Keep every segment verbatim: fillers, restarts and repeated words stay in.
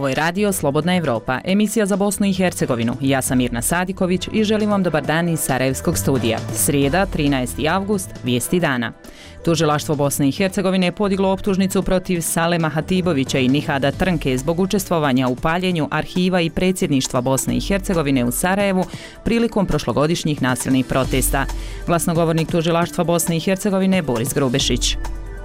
Ovo je radio Slobodna Evropa, emisija za Bosnu i Hercegovinu. Ja sam Mirna Sadiković i želim vam dobar dan iz Sarajevskog studija. Srijeda, trinaesti avgust, vijesti dana. Tužilaštvo Bosne i Hercegovine je podiglo optužnicu protiv Salema Hatibovića i Nihada Trnke zbog učestvovanja u paljenju arhiva i predsjedništva Bosne i Hercegovine u Sarajevu prilikom prošlogodišnjih nasilnih protesta. Glasnogovornik tužilaštva Bosne i Hercegovine Boris Grubešić.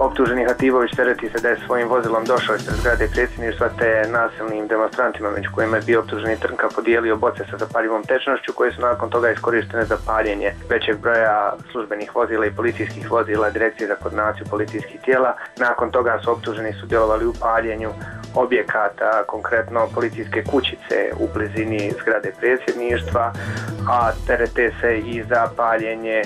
Optuženi Hatibović tereti se da je svojim vozilom došao ispred zgrade predsjedništva te nasilnim demonstrantima, među kojima je bio optuženi Trnka, podijelio boce sa zapaljivom tečnošću koje su nakon toga iskorištene za paljenje većeg broja službenih vozila i policijskih vozila Direkcije za koordinaciju policijskih tijela. Nakon toga su optuženi sudjelovali u paljenju objekata, konkretno policijske kućice u blizini zgrade predsjedništva, a terete se i za paljenje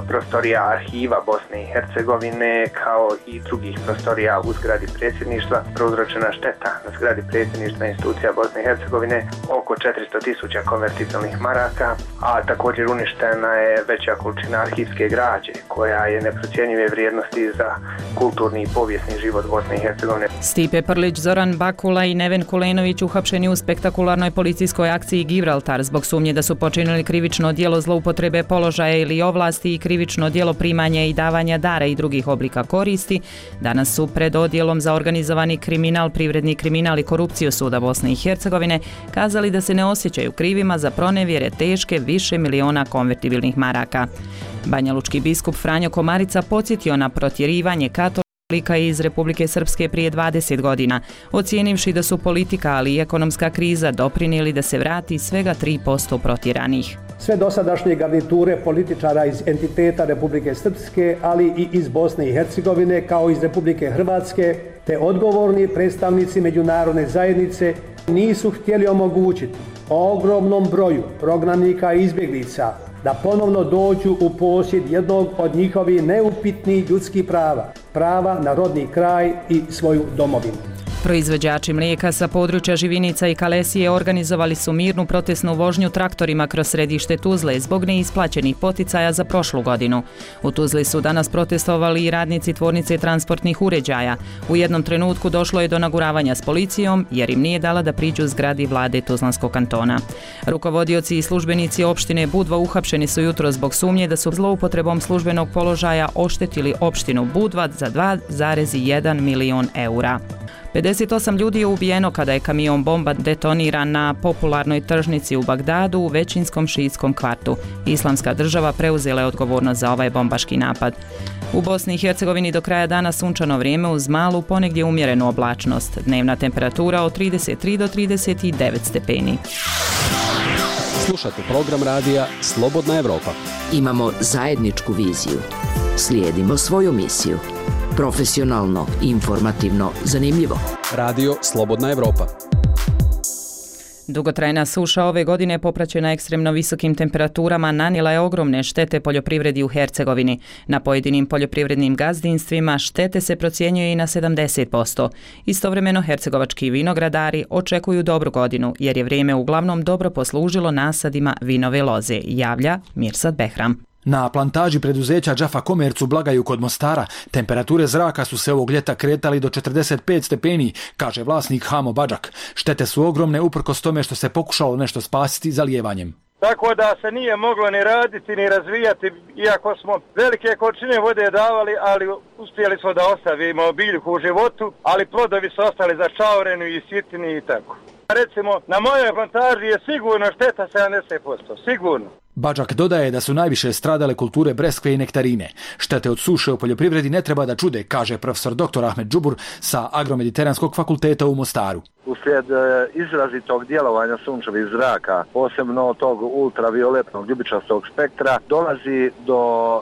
prostorija arhiva Bosne i Hercegovine kao i drugih prostorija u zgradi predsjedništva. Prouzročena šteta na zgradi predsjedništva institucija Bosne i Hercegovine oko četiristo tisuća konvertibilnih maraka, a također uništena je veća količina arhivske građe koja je neprocjenjive vrijednosti za kulturni i povijesni život Bosne i Hercegovine. Stipe Prlić, Zoran Bakula i Neven Kulenović uhapšeni u spektakularnoj policijskoj akciji Gibraltar zbog sumnje da su počinili krivično djelo zloupotrebe položaja ili ovlasti i krivično djelo primanja i davanja dara i drugih oblika koristi, danas su pred odjelom za organizovani kriminal, privredni kriminal i korupciju Suda Bosne i Hercegovine kazali da se ne osjećaju krivima za pronevjere teške više miliona konvertibilnih maraka. Banjalučki biskup Franjo Komarica podsjetio na protjerivanje katolika iz Republike Srpske prije dvadeset godina, ocijenivši da su politika, ali i ekonomska kriza doprinijeli da se vrati svega tri posto protjeranih. Sve dosadašnje garniture političara iz entiteta Republike Srpske, ali i iz Bosne i Hercegovine, kao iz Republike Hrvatske, te odgovorni predstavnici međunarodne zajednice nisu htjeli omogućiti ogromnom broju prognanika i izbjeglica da ponovno dođu u posjed jednog od njihovih neupitnih ljudskih prava, prava na rodni kraj i svoju domovinu. Proizvođači mlijeka sa područja Živinica i Kalesije organizovali su mirnu protestnu vožnju traktorima kroz središte Tuzle zbog neisplaćenih poticaja za prošlu godinu. U Tuzli su danas protestovali i radnici tvornice transportnih uređaja. U jednom trenutku došlo je do naguravanja s policijom jer im nije dala da priđu zgradi vlade Tuzlanskog kantona. Rukovodioci i službenici opštine Budva uhapšeni su jutro zbog sumnje da su zloupotrebom službenog položaja oštetili opštinu Budva za dva zarez jedan milion eura. pedeset osam ljudi je ubijeno kada je kamion bomba detoniran na popularnoj tržnici u Bagdadu u većinskom šiitskom kvartu. Islamska država preuzela je odgovornost za ovaj bombaški napad. U Bosni i Hercegovini do kraja dana sunčano vrijeme uz malu ponegdje umjerenu oblačnost. Dnevna temperatura od trideset tri do trideset devet stepeni. Slušate program radija Slobodna Evropa. Imamo zajedničku viziju. Slijedimo svoju misiju. Profesionalno, informativno, zanimljivo. Radio Slobodna Evropa. Dugotrajna suša ove godine popraćena ekstremno visokim temperaturama nanijela je ogromne štete poljoprivredi u Hercegovini. Na pojedinim poljoprivrednim gazdinstvima štete se procjenjuje i na sedamdeset posto. Istovremeno hercegovački vinogradari očekuju dobru godinu jer je vrijeme uglavnom dobro poslužilo nasadima vinove loze, javlja Mirsad Behram. Na plantaži preduzeća Džafa Komerc u Blagaju kod Mostara temperature zraka su se ovog ljeta kretali do četrdeset pet stepeni, kaže vlasnik Hamo Badžak. Štete su ogromne uprkos tome što se pokušalo nešto spasiti zalijevanjem. Tako da se nije moglo ni raditi ni razvijati, iako smo velike količine vode davali, ali uspjeli smo da ostavimo biljku u životu, ali plodovi su ostali začaureni i sitni i tako. Recimo, na mojoj plantaži je sigurno šteta sedamdeset posto, sigurno. Badžak dodaje da su najviše stradale kulture breskve i nektarine. Štete od suše u poljoprivredi ne treba da čude, kaže profesor doktor Ahmed Džubur sa Agromediteranskog fakulteta u Mostaru. Uslijed izrazitog djelovanja sunčevih zraka, posebno tog ultravioletnog ljubičastog spektra, dolazi do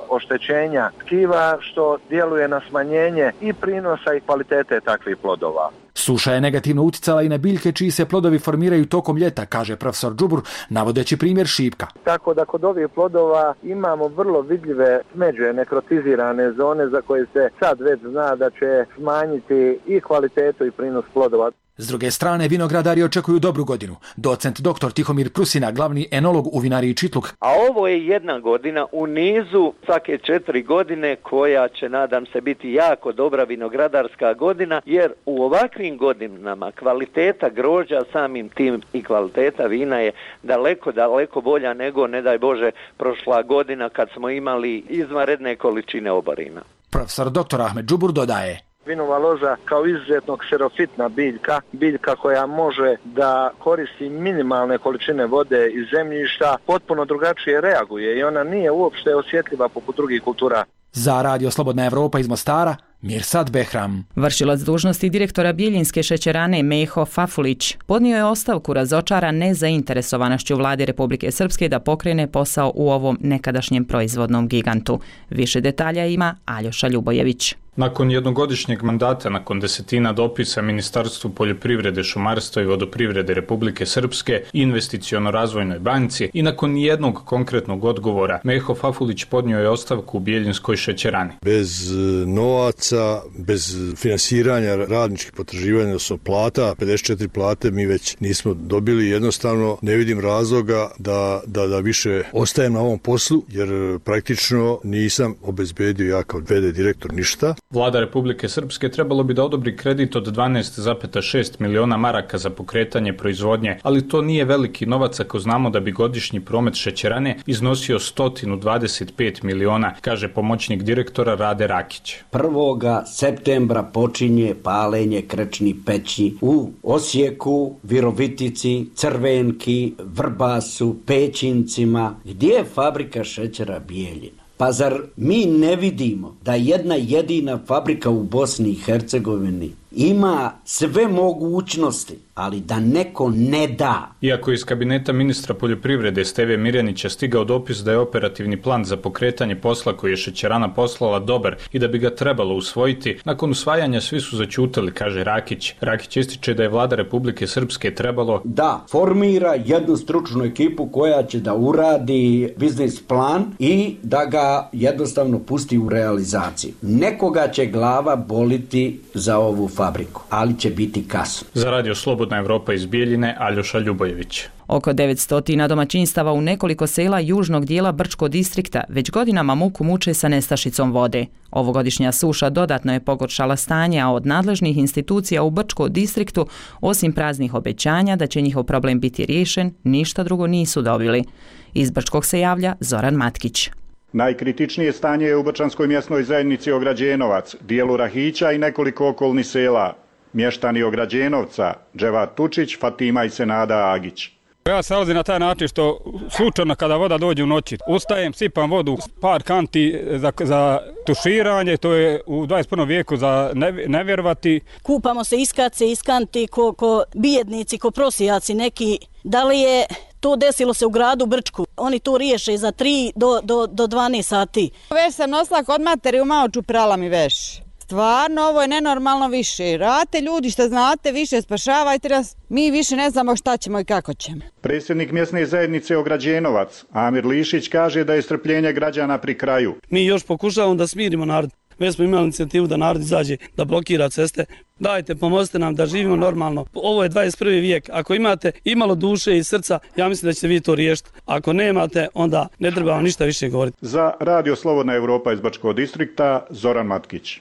oštećenja tkiva što djeluje na smanjenje i prinosa i kvalitete takvih plodova. Suša je negativno utjecala i na biljke čiji se plodovi formiraju tokom ljeta, kaže profesor Džubur, navodeći primjer šipka. Tako da kod ovih plodova imamo vrlo vidljive smeđe, nekrotizirane zone za koje se sad već zna da će smanjiti i kvalitetu i prinos plodova. S druge strane, vinogradari očekuju dobru godinu. Docent doktor Tihomir Prusina, glavni enolog u vinariji Čitluk. A ovo je jedna godina u nizu svake četiri godine koja će, nadam se, biti jako dobra vinogradarska godina, jer u ovakvim godinama kvaliteta grožđa, samim tim i kvaliteta vina je daleko, daleko bolja nego, ne daj Bože, prošla godina kad smo imali izvanredne količine oborina. Profesor doktor Ahmed Džubur dodaje. Vinova loza kao izuzetno kserofitna biljka, biljka koja može da koristi minimalne količine vode iz zemljišta, potpuno drugačije reaguje i ona nije uopšte osjetljiva poput drugih kultura. Za Radio Slobodna Evropa iz Mostara, Mirsad Behram. Vršilac dužnosti direktora Bijeljinske šećerane Meho Fafulić podnio je ostavku razočaran nezainteresovanošću vlade Republike Srpske da pokrene posao u ovom nekadašnjem proizvodnom gigantu. Više detalja ima Aljoša Ljubojević. Nakon jednogodišnjeg mandata, nakon desetina dopisa Ministarstvu poljoprivrede, šumarstva i vodoprivrede Republike Srpske, Investiciono-razvojnoj banci i nakon jednog konkretnog odgovora, Meho Fafulić podnio je ostavku u Bijeljinskoj šećerani. Bez novaca, bez finansiranja radničkih potraživanja, odnosno plata, pedeset četiri plate mi već nismo dobili. Jednostavno ne vidim razloga da, da, da više ostajem na ovom poslu, jer praktično nisam obezbedio ja kao ve de direktor ništa. Vlada Republike Srpske trebalo bi da odobri kredit od dvanaest zarez šest miliona maraka za pokretanje proizvodnje, ali to nije veliki novac ako znamo da bi godišnji promet šećerane iznosio sto dvadeset pet miliona, kaže pomoćnik direktora Rade Rakić. prvog septembra počinje palenje krečnih peći u Osijeku, Virovitici, Crvenki, Vrbasu, Pećincima. Gdje je fabrika šećera Bijeljina? Pa zar mi ne vidimo da jedna jedina fabrika u Bosni i Hercegovini ima sve mogućnosti, ali da neko ne da? Iako iz kabineta ministra poljoprivrede Steve Mirjanića stigao dopis da je operativni plan za pokretanje posla koji je šećerana poslala dobar i da bi ga trebalo usvojiti, nakon usvajanja svi su zaćutali, kaže Rakić. Rakić ističe da je vlada Republike Srpske trebalo da formira jednu stručnu ekipu koja će da uradi biznis plan i da ga jednostavno pusti u realizaciju. Nekoga će glava boliti za ovu fabriku, ali će biti kasno. Za Radio Slobodna Evropa iz Bijeljine, Aljoša Ljubojević. Oko devetsto domaćinstava u nekoliko sela južnog dijela Brčkog distrikta već godinama muku muče sa nestašicom vode. Ovogodišnja suša dodatno je pogoršala stanje, a od nadležnih institucija u Brčkom distriktu, osim praznih obećanja da će njihov problem biti riješen, ništa drugo nisu dobili. Iz Brčkog se javlja Zoran Matkić. Najkritičnije stanje je u Brčanskoj mjesnoj zajednici Ograđenovac, dijelu Rahića i nekoliko okolnih sela. Mještani Ograđenovca, Dževat Tučić, Fatima i Senada Agić. Ja se nalazim na taj način što slučajno kada voda dođe u noći, ustajem, sipam vodu, par kanti za, za tuširanje, to je u dvadeset prvom vijeku za ne, ne vjerovati. Kupamo se iskace, iskanti, ko, ko bijednici, ko prosijaci neki. Da li je to desilo se u gradu Brčku? Oni to riješe za tri do, do, do dvanaest sati. Već sam nosila kod materi, u malo čuprala mi veš. Stvarno, ovo je nenormalno više. Rate ljudi što znate, više spašavajte nas. Mi više ne znamo šta ćemo i kako ćemo. Predsjednik mjesne zajednice Ograđenovac, Amir Lišić, kaže da je strpljenje građana pri kraju. Mi još pokušavamo da smirimo narod. Već smo imali inicijativu da narod izađe, da blokira ceste. Dajte, pomozite nam da živimo normalno. Ovo je dvadeset prvi vijek. Ako imate imalo duše i srca, ja mislim da ćete vi to riješiti. Ako nemate, onda ne treba vam ništa više govoriti. Za Radio Slobodna Evropa iz Brčkog distrikta, Zoran Matkić.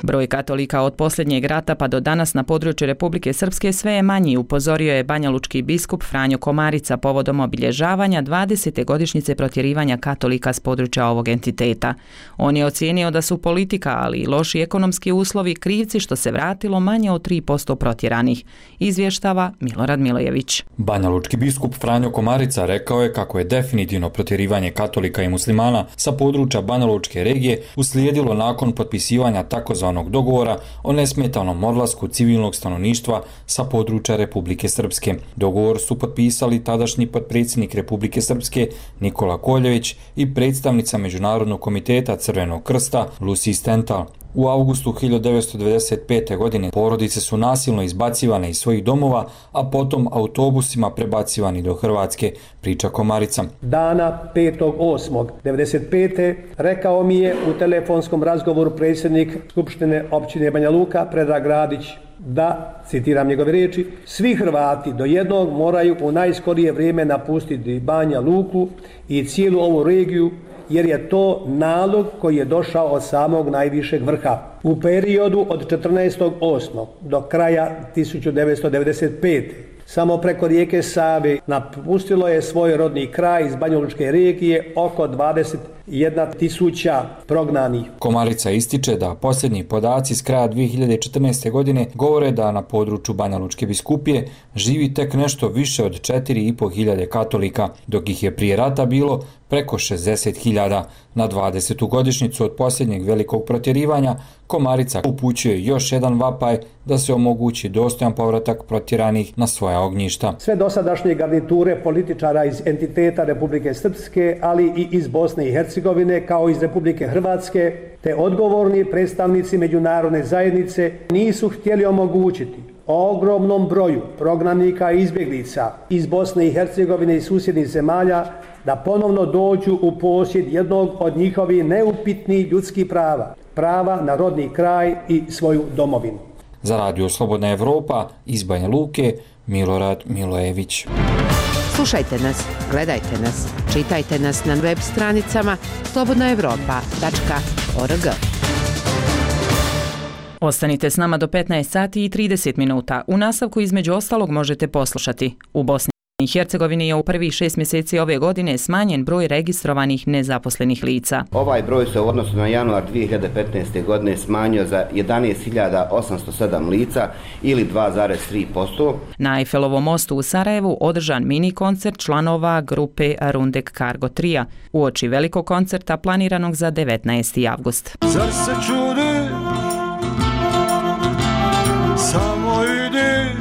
Broj katolika od posljednjeg rata pa do danas na području Republike Srpske sve je manji, upozorio je banjalučki biskup Franjo Komarica povodom obilježavanja dvadesete godišnjice protjerivanja katolika s područja ovog entiteta. On je ocijenio da su politika, ali i loši ekonomski uslovi krivci što se vratilo manje od tri posto protjeranih, izvještava Milorad Milojević. Banjalučki biskup Franjo Komarica rekao je kako je definitivno protjerivanje katolika i muslimana sa područja Banjalučke regije uslijedilo nakon potpisivanja takozvanog dogovora o nesmetanom odlasku civilnog stanovništva sa područja Republike Srpske. Dogovor su potpisali tadašnji potpredsjednik Republike Srpske Nikola Koljević i predstavnica Međunarodnog komiteta Crvenog krsta Lucy Stental. U avgustu hiljadu devetsto devedeset pete. godine porodice su nasilno izbacivane iz svojih domova, a potom autobusima prebacivani do Hrvatske, priča Komarica. Dana petog osmog devedeset pete. rekao mi je u telefonskom razgovoru predsjednik Skupštine općine Banja Luka Predrag Radić da, citiram njegove riječi, svi Hrvati do jednog moraju u najskorije vrijeme napustiti Banja Luku i cijelu ovu regiju, jer je to nalog koji je došao od samog najvišeg vrha. U periodu od četrnaestog osmog do kraja tisuću devetsto devedeset pete. samo preko rijeke Save napustilo je svoj rodni kraj iz banjalučke regije oko dvadeset jedna tisuća prognanih. Komarica ističe da posljednji podaci s kraja dvije hiljade četrnaeste. godine govore da na području Banjalučke biskupije živi tek nešto više od četiri i po hiljade katolika, dok ih je prije rata bilo preko šezdeset hiljada. Na dvadesetu godišnjicu od posljednjeg velikog protjerivanja Komarica upućuje još jedan vapaj da se omogući dostojan povratak protjeranih na svoja ognjišta. Sve dosadašnje garniture političara iz entiteta Republike Srpske, ali i iz Bosne i Hercegovine, kao iz Republike Hrvatske, te odgovorni predstavnici međunarodne zajednice nisu htjeli omogućiti ogromnom broju prognanika i izbjeglica iz Bosne i Hercegovine i susjednih zemalja da ponovno dođu u posjed jednog od njihovih neupitnih ljudskih prava, prava na rodni kraj i svoju domovinu. Za Radio Slobodna Evropa iz Banja Luke, Milorad Milojević. Slušajte nas, gledajte nas, čitajte nas na web stranicama slobodna evropa tačka org. Ostanite s nama do petnaest sati i trideset minuta. U nastavku između ostalog možete poslušati. U Bosni i Hercegovini je u prvih šest mjeseci ove godine smanjen broj registrovanih nezaposlenih lica. Ovaj broj se u odnosu na januar dvije hiljade petnaeste. godine smanjio za jedanaest hiljada osamsto sedam lica ili dva zarez tri posto. Na Eiffelovom mostu u Sarajevu održan mini koncert članova grupe Rundek Cargo Tria uoči velikog koncerta planiranog za devetnaesti avgust. Zar se čudi? Samo ide.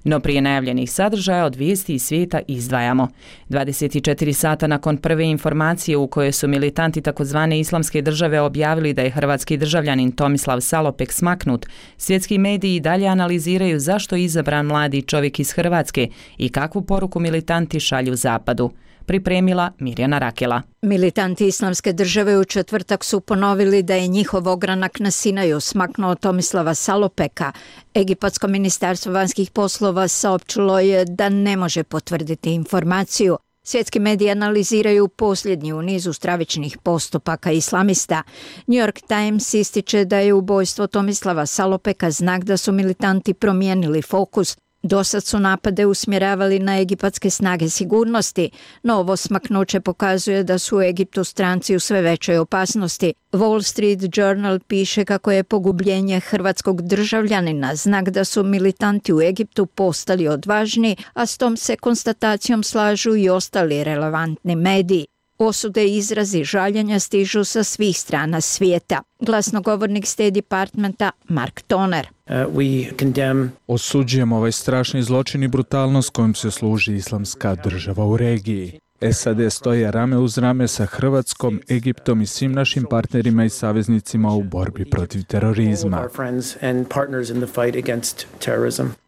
No prije najavljenih sadržaja od vijesti iz svijeta izdvajamo. dvadeset četiri sata nakon prve informacije u kojoj su militanti takozvane islamske države objavili da je hrvatski državljanin Tomislav Salopek smaknut, svjetski mediji dalje analiziraju zašto je izabran mladi čovjek iz Hrvatske i kakvu poruku militanti šalju zapadu. Pripremila Mirjana Rakela. Militanti islamske države u četvrtak su ponovili da je njihov ogranak na Sinaju smaknuo Tomislava Salopeka. Egipatsko ministarstvo vanjskih poslova saopćilo je da ne može potvrditi informaciju. Svjetski mediji analiziraju posljednji u nizu stravičnih postupaka islamista. New York Times ističe da je ubojstvo Tomislava Salopeka znak da su militanti promijenili fokus. Dosad su napade usmjeravali na egipatske snage sigurnosti, no ovo smaknuće pokazuje da su u Egiptu stranci u sve većoj opasnosti. Wall Street Journal piše kako je pogubljenje hrvatskog državljanina znak da su militanti u Egiptu postali odvažni, a s tom se konstatacijom slažu i ostali relevantni mediji. Osude i izrazi žaljenja stižu sa svih strana svijeta. Glasnogovornik State Departmenta Mark Toner. Uh, we condemn... Osuđujemo ovaj strašni zločin i brutalnost kojim se služi islamska država u regiji. S A D stoje rame uz rame sa Hrvatskom, Egiptom i svim našim partnerima i saveznicima u borbi protiv terorizma.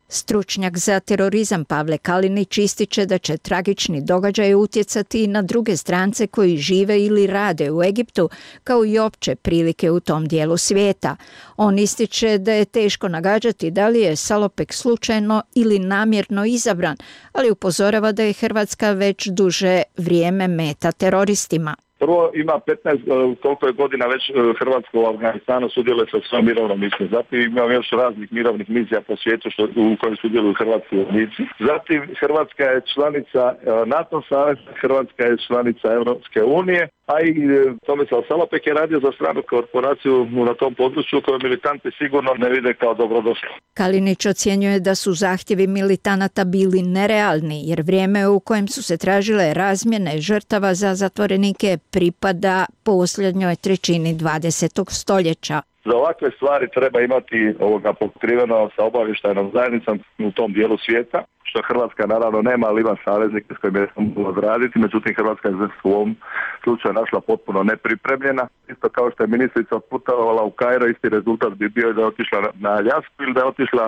Stručnjak za terorizam Pavle Kalinić ističe da će tragični događaj utjecati i na druge strance koji žive ili rade u Egiptu, kao i opće prilike u tom dijelu svijeta. On ističe da je teško nagađati da li je Salopek slučajno ili namjerno izabran, ali upozorava da je Hrvatska već duže vrijeme meta teroristima. Prvo ima petnaest koliko je godina već Hrvatska u Afganistanu sudjeluje sa svojom mirovnom misijom. Zatim imamo još raznih mirovnih misija po svijetu što, u kojoj sudjeluju hrvatski vojnici. Zatim Hrvatska je članica NATO saveza, Hrvatska je članica Europske unije, a i Tomislav Salopek je radio za stranu korporaciju na tom području koju militanti sigurno ne vide kao dobrodošlo. Kalinić ocjenjuje da su zahtjevi militanata bili nerealni, jer vrijeme u kojem su se tražile razmjene žrtava za zatvorenike pripada posljednjoj trećini dvadesetog stoljeća. Za ovakve stvari treba imati ovoga pokriveno sa obavještajnom zajednicom u tom dijelu svijeta, što Hrvatska naravno nema, ali ima saveznike s kojima je mogla odraditi, međutim Hrvatska je u ovom slučaju našla potpuno nepripremljena. Isto kao što je ministrica putovala u Kairo, isti rezultat bi bio da je otišla na Aljasku ili da je otišla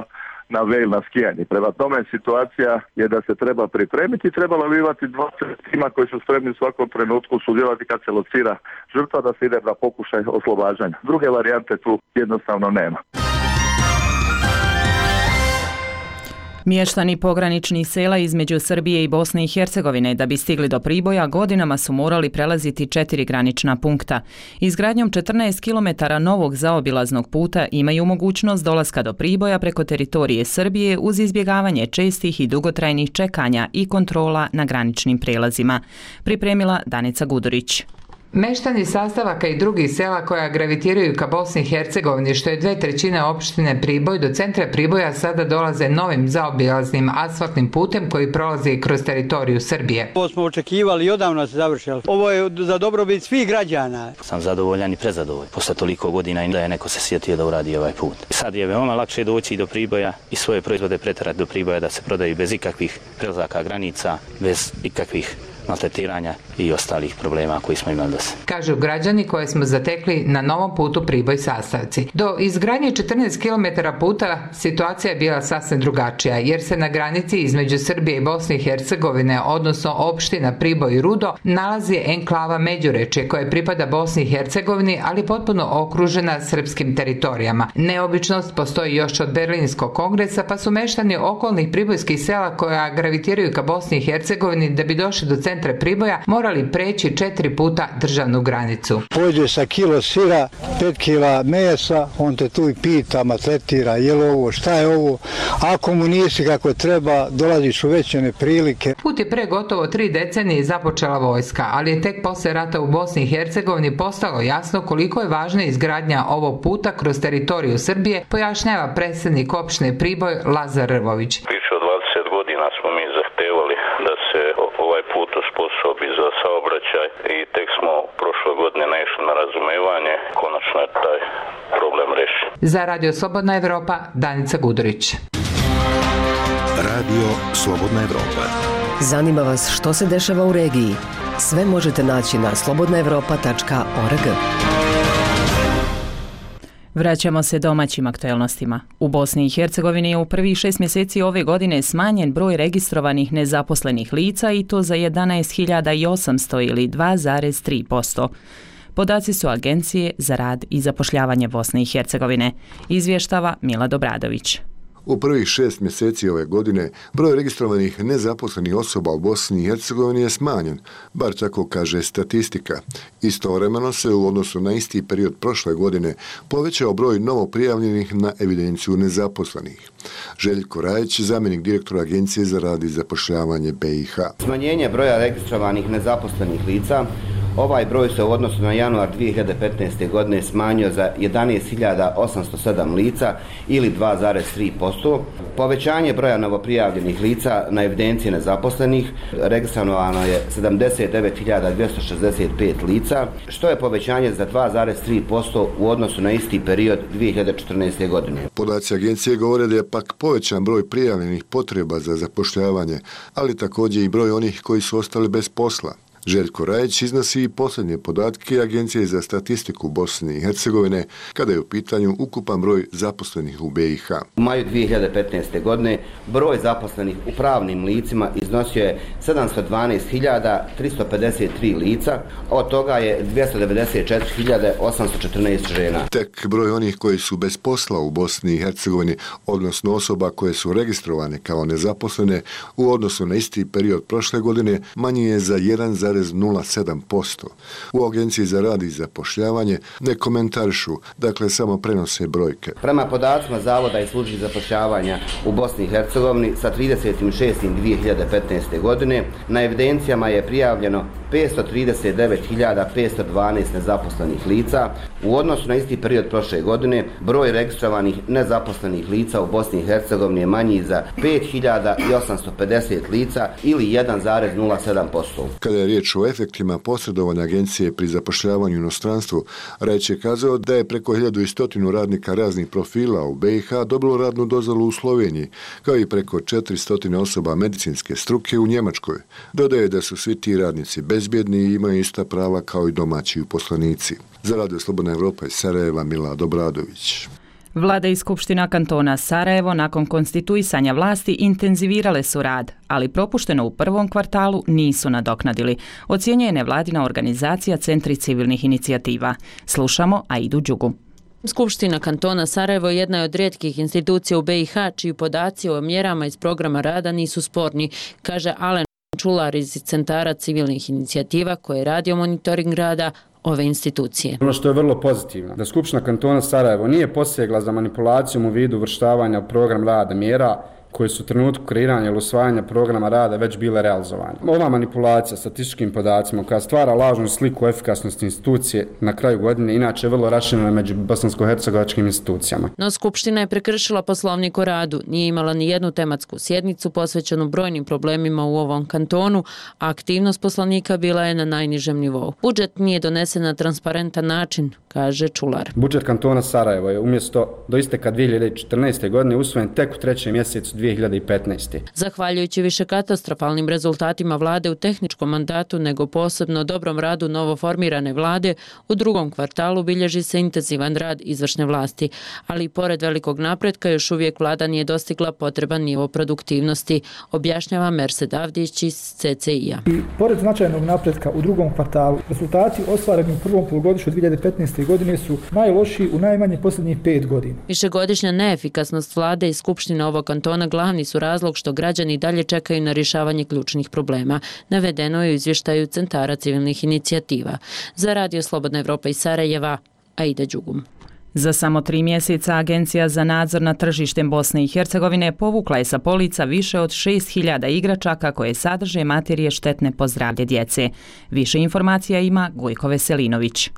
na Vail na skijanje. Prema tome situacija je da se treba pripremiti, trebalo bi imati dvadeset tima koji su spremni u svakom trenutku sudjelovati kad se locira žrtva, da se ide na pokušaj oslobađanja. Druge varijante tu jednostavno nema. Mještani pograničnih sela između Srbije i Bosne i Hercegovine da bi stigli do Priboja godinama su morali prelaziti četiri granična punkta. Izgradnjom četrnaest kilometara novog zaobilaznog puta imaju mogućnost dolaska do Priboja preko teritorije Srbije uz izbjegavanje čestih i dugotrajnih čekanja i kontrola na graničnim prelazima. Pripremila Danica Gudurić. Meštani sastavaka i drugih sela koja gravitiraju ka Bosni i Hercegovini, što je dve trećine opštine Priboj, do centra Priboja sada dolaze novim zaobilaznim asfaltnim putem koji prolazi kroz teritoriju Srbije. Ovo smo očekivali i odavno se završilo. Ovo je za dobrobit svih građana. Sam zadovoljan i prezadovoljan. Posle toliko godina i da je neko se sjetio da uradi ovaj put. Sad je veoma lakše doći do Priboja i svoje proizvode preterati do Priboja da se prodaju bez ikakvih prelazaka granica, bez ikakvih maltretiranja i ostalih problema koji smo imali do sada. Kažu građani koje smo zatekli na novom putu Priboj sastavci. Do izgradnje četrnaest kilometara puta situacija je bila sasvim drugačija, jer se na granici između Srbije i Bosne i Hercegovine, odnosno opština Priboj i Rudo, nalazi enklava Međurečje koje pripada Bosni i Hercegovini, ali potpuno okružena srpskim teritorijama. Neobičnost postoji još od Berlinskog kongresa, pa su meštani okolnih pribojskih sela koja gravitiraju ka Bosni i Hercegovini da bi došli do centra Priboja morali preći četiri puta državnu granicu. Pođe sa kilo sira, pet kila mesa, on te tu i pita, maltretira, je li ovo, šta je ovo, ako mu nisi kako treba, dolaziš u veće neprilike. Put je pre gotovo tri decenije započela vojska, ali je tek posle rata u Bosni i Hercegovini postalo jasno koliko je važna izgradnja ovog puta kroz teritoriju Srbije, pojašnjava predsjednik opštine Priboj Lazar Rvović. Više od dvadeset godina smo mi zahtevali da se ovaj put osposobi za saobraćaj i tek smo prošle godine naišli na razumevanje, konačno je taj problem rešen. Za Radio Slobodna Evropa, Danica Gudurić. Radio Slobodna Evropa. Zanima vas što se dešava u regiji? Sve možete naći na slobodna evropa tačka org. Vraćamo se domaćim aktuelnostima. U Bosni i Hercegovini je u prvih šest mjeseci ove godine smanjen broj registrovanih nezaposlenih lica i to za jedanaest hiljada osamsto ili dva zarez tri posto. Podaci su Agencije za rad i zapošljavanje Bosne i Hercegovine, izvještava Mila Dobradović. U prvih šest mjeseci ove godine broj registrovanih nezaposlenih osoba u Bosni i Hercegovini je smanjen, bar tako kaže statistika. Istovremeno se u odnosu na isti period prošle godine povećao broj novo prijavljenih na evidenciju nezaposlenih. Željko Rajić, zamjenik direktora Agencije za rad i zapošljavanje B i H. Smanjenje broja registrovanih nezaposlenih lica. Ovaj broj se u odnosu na januar dvije hiljade petnaeste. godine smanjio za jedanaest hiljada osamsto sedam lica ili dva zarez tri posto. Povećanje broja novoprijavljenih lica na evidenciji nezaposlenih registrovano je sedamdeset devet hiljada dvjesto šezdeset pet lica, što je povećanje za dva zarez tri posto u odnosu na isti period dvije hiljade četrnaeste. godine. Podaci agencije govore da je pak povećan broj prijavljenih potreba za zapošljavanje, ali također i broj onih koji su ostali bez posla. Željko Rajić iznosi i posljednje podatke Agencije za statistiku Bosne i Hercegovine kada je u pitanju ukupan broj zaposlenih u B i H. U maju dvije hiljade petnaeste. godine broj zaposlenih u pravnim licima iznosio je sedamsto dvanaest hiljada tristo pedeset tri lica, od toga je dvjesto devedeset četiri hiljade osamsto četrnaest žena. Tek broj onih koji su bez posla u Bosni i Hercegovini, odnosno osoba koje su registrovane kao nezaposlene u odnosu na isti period prošle godine, manji je za jedan zarez nula sedam posto. U Agenciji za rad i zapošljavanje ne komentarišu, dakle samo prenose brojke. Prema podacima Zavoda i službi zapošljavanja u Bosni i Hercegovini sa trideset šesti dvije hiljade petnaeste. godine na evidencijama je prijavljeno petsto trideset devet hiljada petsto dvanaest nezaposlenih lica. U odnosu na isti period prošle godine, broj registrovanih nezaposlenih lica u Bosni i Hercegovini je manji za pet hiljada osamsto pedeset lica ili jedan zarez nula sedam posto. Kada je riječ o efektima posredovanja agencije pri zapošljavanju u inostranstvu, Rajić je kazao da je preko hiljadu i stotinu radnika raznih profila u B i H dobilo radnu dozvolu u Sloveniji, kao i preko četiristo osoba medicinske struke u Njemačkoj. Dodaje da su svi ti radnici bezbjedni i imaju ista prava kao i domaći uposlenici. Za Radio Slobodna Evropa iz Sarajeva, Milad Obradović. Vlada i Skupština kantona Sarajevo nakon konstituisanja vlasti intenzivirale su rad, ali propušteno u prvom kvartalu nisu nadoknadili, ocjenjuje nevladina organizacija Centri civilnih inicijativa. Slušamo Aidu Đugu. Skupština kantona Sarajevo je jedna od rijetkih institucija u B i H čiji podaci o mjerama iz programa rada nisu sporni, kaže Alen Čular iz Centara civilnih inicijativa koji je radio monitoring rada ove institucije. Ono što je vrlo pozitivno, da Skupština kantona Sarajevo nije posegla za manipulacijom u vidu uvrštavanja u program rada mjera koje su u trenutku kreiranja ili usvajanja programa rada već bile realizovane. Ova manipulacija statističkim podacima koja stvara lažnu sliku efikasnosti institucije na kraju godine inače je vrlo raširena među bosansko-hercegovačkim institucijama. No Skupština je prekršila poslovnik o radu, nije imala ni jednu tematsku sjednicu posvećenu brojnim problemima u ovom kantonu, a aktivnost poslanika bila je na najnižem nivou. Budžet nije donesen na transparentan način, kaže Čular. Budžet kantona Sarajevo je umjesto do isteka dvije hiljade četrnaeste. godine usvojen tek u trećem mjesecu dvije hiljade petnaeste. Zahvaljujući više katastrofalnim rezultatima vlade u tehničkom mandatu nego posebno dobrom radu novoformirane vlade, u drugom kvartalu bilježi se intenzivan rad izvršne vlasti, ali i pored velikog napretka još uvijek vlada nije dostigla potreban nivo produktivnosti, objašnjava Mersed Avdić iz C C I-a. I pored značajnog napretka u drugom kvartalu, rezultati ostvareni u prvom polugodištu dvije hiljade petnaeste. godine su najlošiji u najmanje posljednjih pet godina. Višegodišnja neefikasnost vlade i Skupštine ovog kantona glavni su razlog što građani dalje čekaju na rješavanje ključnih problema, navedeno je u izvještaju Centara civilnih inicijativa. Za Radio Slobodna Evropa iz Sarajeva, Aida Đugum. Za samo tri mjeseca Agencija za nadzor nad tržištem Bosne i Hercegovine povukla je sa polica više od šest hiljada igračaka koje sadrže materije štetne po zdravlje djece. Više informacija ima Gojko Veselinović.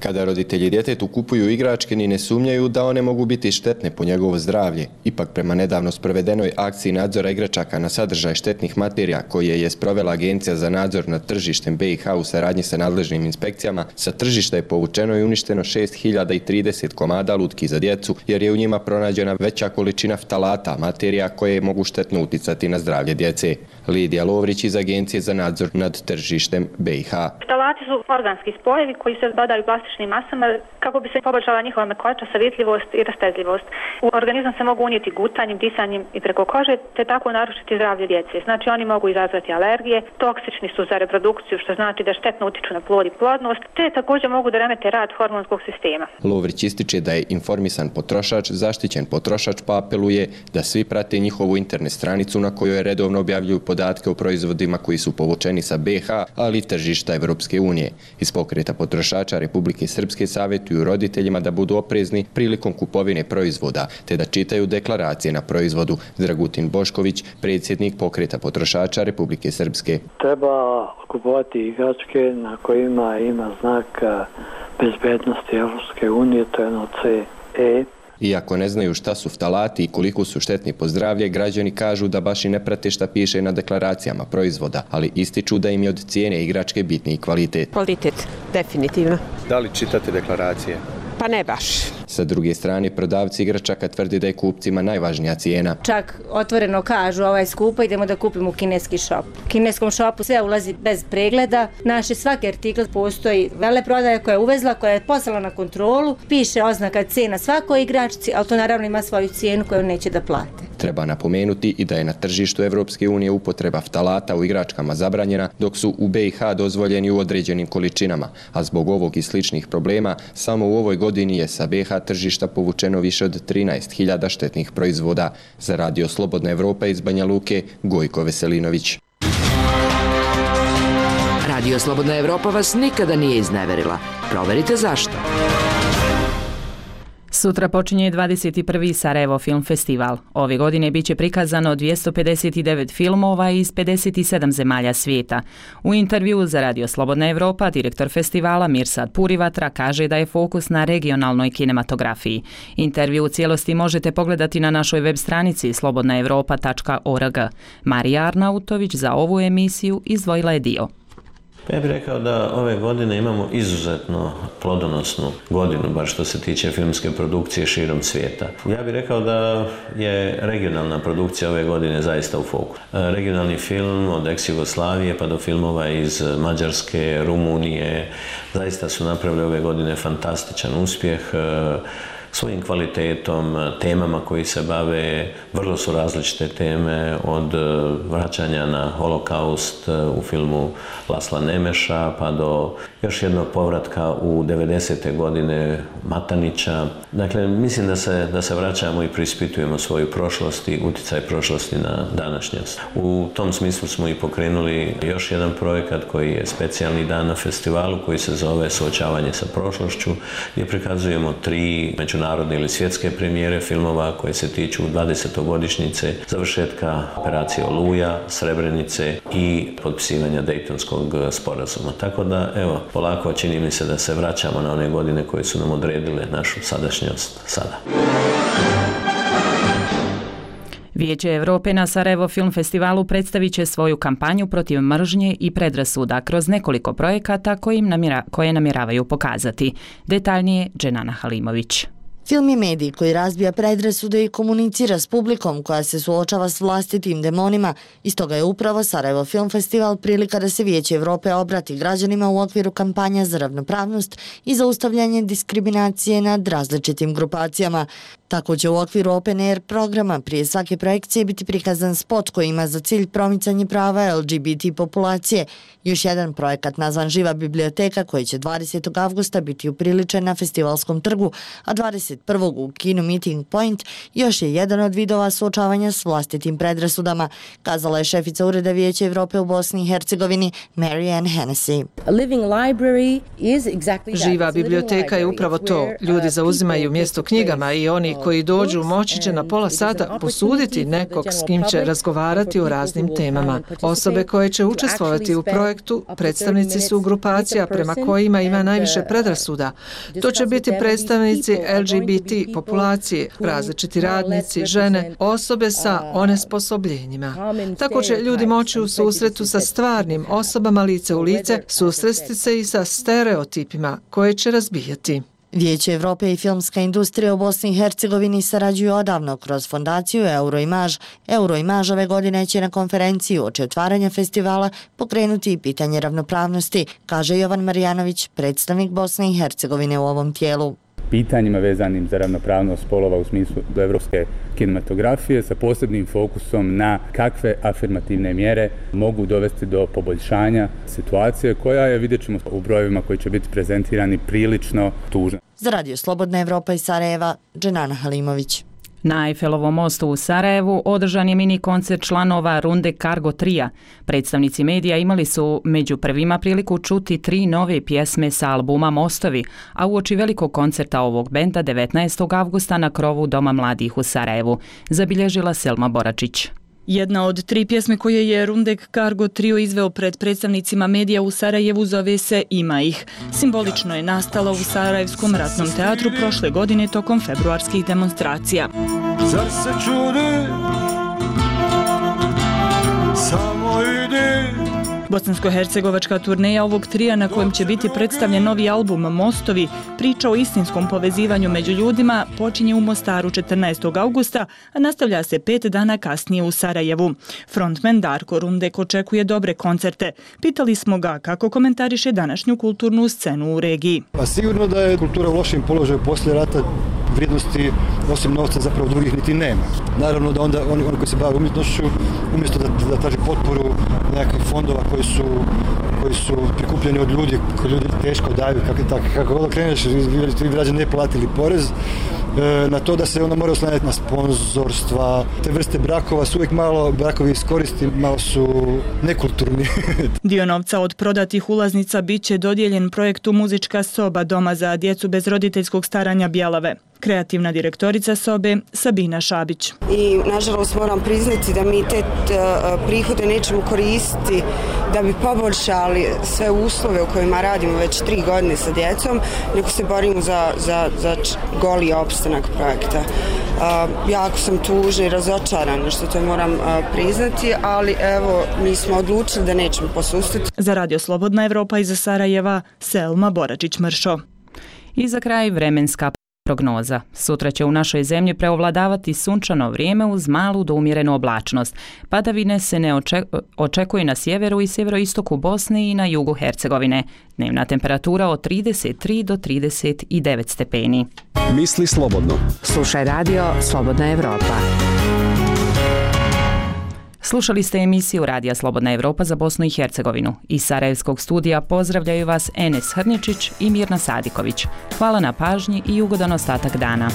Kada roditelji djetetu kupuju igračke ni ne sumnjaju da one mogu biti štetne po njegovo zdravlje. Ipak prema nedavno sprovedenoj akciji nadzora igračaka na sadržaj štetnih materija koje je sprovela Agencija za nadzor nad tržištem B i H u saradnji sa nadležnim inspekcijama, sa tržišta je povučeno i uništeno šest hiljada trideset komada lutki za djecu jer je u njima pronađena veća količina ftalata, materija koje mogu štetno uticati na zdravlje djece. Lidija Lovrić iz Agencije za nadzor nad tržištem B i H. Ftalati su organski spojevi koji se dodaju plastičnim masama kako bi se poboljšala njihova mekoća, savjetljivost i rastezljivost. U organizam se mogu unijeti gutanjem, disanjem i preko kože, te tako narušiti zdravlje djece. Znači oni mogu izazvati alergije, toksični su za reprodukciju, što znači da štetno utiču na plod i plodnost, te također mogu da remete rad hormonskog sistema. Lovrić ističe da je informisan potrošač, zaštićen potrošač, pa apeluje da svi prate njihovu internet stranicu na kojoj redovno objavljuju podatke o proizvodima koji su povučeni sa B i H, ali i tržišta Evropske unije. Iz pokreta potrošača Republike Srpske savjetuju roditeljima da budu oprezni prilikom kupovine proizvoda, te da čitaju deklaracije na proizvodu. Dragutin Bošković, predsjednik pokreta potrošača Republike Srpske. Treba kupovati igračke na kojima ima znak bezbednosti Evropske unije, to je ono C E. Iako ne znaju šta su ftalati i koliko su štetni po zdravlje, građani kažu da baš i ne prate šta piše na deklaracijama proizvoda, ali ističu da im je od cijene igračke bitniji kvalitet. Kvalitet, definitivno. Da li čitate deklaracije? Pa ne baš. Sa druge strane, prodavci igračaka tvrdi da je kupcima najvažnija cijena. Čak otvoreno kažu ovaj skupo, idemo da kupimo u kineski šop. U kineskom šopu sve ulazi bez pregleda. Naše svaki artikl postoji veleprodaja koja je uvezla, koja je poslala na kontrolu, piše oznaka cena svakoj igračci, ali to naravno ima svoju cijenu koju neće da plate. Treba napomenuti i da je na tržištu Evropske unije upotreba ftalata u igračkama zabranjena, dok su u B i H dozvoljeni u određenim količinama, a zbog ovog i sličnih problema samo u ovoj godini je sa B i H tržišta povučeno više od trinaest hiljada štetnih proizvoda. Za Radio Slobodna Evropa iz Banja Luke, Gojko Veselinović. Radio Slobodna Evropa vas nikada nije izneverila. Proverite zašto. Sutra počinje dvadeset prvi Sarajevo Film Festival. Ove godine biće prikazano dvjesto pedeset devet filmova iz pedeset sedam zemalja svijeta. U intervjuu za Radio Slobodna Evropa direktor festivala Mirsad Purivatra kaže da je fokus na regionalnoj kinematografiji. Intervju u cijelosti možete pogledati na našoj web stranici slobodna evropa tačka org. Marija Arnautović za ovu emisiju izdvojila je dio. Ja bih rekao da ove godine imamo izuzetno plodonosnu godinu, bar što se tiče filmske produkcije širom svijeta. Ja bih rekao da je regionalna produkcija ove godine zaista u fokusu. Regionalni film od ex-Jugoslavije pa do filmova iz Mađarske, Rumunije, zaista su napravili ove godine fantastičan uspjeh. Svojim kvalitetom, temama koji se bave, vrlo su različite teme, od vraćanja na holokaust u filmu Lasla Nemeša, pa do još jednog povratka u devedesete godine Matanića. Dakle, mislim da se, da se vraćamo i preispitujemo svoju prošlost i utjecaj prošlosti na današnjost. U tom smislu smo i pokrenuli još jedan projekat koji je specijalni dan na festivalu, koji se zove Suočavanje sa prošlošću, gdje prikazujemo tri međunarodne ili svjetske premijere filmova koje se tiču dvadesetogodišnjice završetka operacije Oluja, Srebrenice i potpisivanja Dejtonskog sporazuma. Tako da, evo, polako čini mi se da se vraćamo na one godine koje su nam odredile našu sadašnjost sada. Vijeće Europe na Sarajevo Film Festivalu predstavit će svoju kampanju protiv mržnje i predrasuda kroz nekoliko projekata kojim namjera, koje namjeravaju pokazati. Detaljnije Dženana Halimović. Film je medij koji razbija predrasude i komunicira s publikom koja se suočava s vlastitim demonima i stoga je upravo Sarajevo Film Festival prilika da se Vijeće Europe obrati građanima u okviru kampanja za ravnopravnost i zaustavljanje diskriminacije nad različitim grupacijama. Tako će u okviru Open Air programa prije svake projekcije biti prikazan spot koji ima za cilj promicanje prava L G B T populacije. Još jedan projekat nazvan Živa biblioteka koji će dvadesetog avgusta biti upriličen na festivalskom trgu, a dvadeset prvog u kinu Meeting Point još je jedan od vidova suočavanja s vlastitim predrasudama, kazala je šefica Ureda Vijeća Evrope u Bosni i Hercegovini Mary Ann Hennessy. Živa biblioteka je upravo to. Ljudi zauzimaju mjesto knjigama i oni koji dođu moći će na pola sata posuditi nekog s kim će razgovarati o raznim temama. Osobe koje će učestvovati u projektu predstavnici su grupacija prema kojima ima najviše predrasuda. To će biti predstavnici L G B T populacije, različiti radnici, žene, osobe sa onesposobljenjima. Tako će ljudi moći u susretu sa stvarnim osobama lice u lice susresti se i sa stereotipima koje će razbijati. Vijeće Evrope i filmska industrija u Bosni i Hercegovini sarađuju odavno kroz fondaciju Euroimage. Euroimage ove godine će na konferenciju uoči otvaranja festivala pokrenuti i pitanje ravnopravnosti, kaže Jovan Marjanović, predstavnik Bosne i Hercegovine u ovom tijelu. Pitanjima vezanim za ravnopravnost spolova u smislu evropske kinematografije sa posebnim fokusom na kakve afirmativne mjere mogu dovesti do poboljšanja situacije koja je, vidjet ćemo u brojevima koji će biti prezentirani, prilično tužna. Za Radio Slobodna Evropa iz Sarajeva, Dženana Halimović. Na Eiffelovom mostu u Sarajevu održan je mini koncert članova Runde Cargo Tria. Predstavnici medija imali su među prvima priliku čuti tri nove pjesme sa albuma Mostovi, a uoči velikog koncerta ovog benda devetnaestog avgusta na krovu Doma mladih u Sarajevu, zabilježila Selma Boračić. Jedna od tri pjesme koje je Rundek Cargo Trio izveo pred predstavnicima medija u Sarajevu zove se Ima ih. Simbolično je nastala u Sarajevskom ratnom teatru prošle godine tokom februarskih demonstracija. Zar se čudi, samo idi. Bosansko-hercegovačka turneja ovog trija na kojem će biti predstavljen novi album Mostovi, priča o istinskom povezivanju među ljudima, počinje u Mostaru četrnaestog avgusta, a nastavlja se pet dana kasnije u Sarajevu. Frontman Darko Rundek očekuje dobre koncerte. Pitali smo ga kako komentariše današnju kulturnu scenu u regiji. Pa sigurno da je kultura u lošim položaju poslije rata, vrijednosti osim novca zapravo drugih niti nema. Naravno da onda oni, oni koji se bave umjetnošću, umjesto da, da traži potporu nekakvih fondova koji su, koji su prikupljeni od ljudi, koji ljudi teško daju, kako, tako, kako god kreneš, ti građani ne platili porez, e, na to da se onda mora oslanjati na sponzorstva. Te vrste brakova su uvijek malo, brakovi iskoristi, malo su nekulturni. Dio novca od prodatih ulaznica bit će dodijeljen projektu Muzička soba Doma za djecu bez roditeljskog staranja Bjelave. kreativna direktorica sobe Sabina Šabić. I nažalost moram priznati da mi te prihode nećemo koristiti da bi poboljšali sve uslove u kojima radimo već tri godine sa djecom, nego se borimo za, za, za goli opstanak projekta. Uh, jako sam tužna i razočarana što to moram uh, priznati, ali evo, mi smo odlučili da nećemo posustati. Za Radio Slobodna Evropa iz Sarajeva, Selma Boračić-Mršo. I za kraj vremenska prognoza. Sutra će u našoj zemlji preovladavati sunčano vrijeme uz malu do umjerenu oblačnost. Padavine se ne očekuju na sjeveru i sjeveroistoku Bosne i na jugu Hercegovine. Dnevna temperatura od trideset tri do trideset devet stepeni. Misli slobodno. Slušaj radio Slobodna Evropa. Slušali ste emisiju Radija Slobodna Evropa za Bosnu i Hercegovinu. Iz Sarajevskog studija pozdravljaju vas Enes Hrničić i Mirna Sadiković. Hvala na pažnji i ugodan ostatak dana.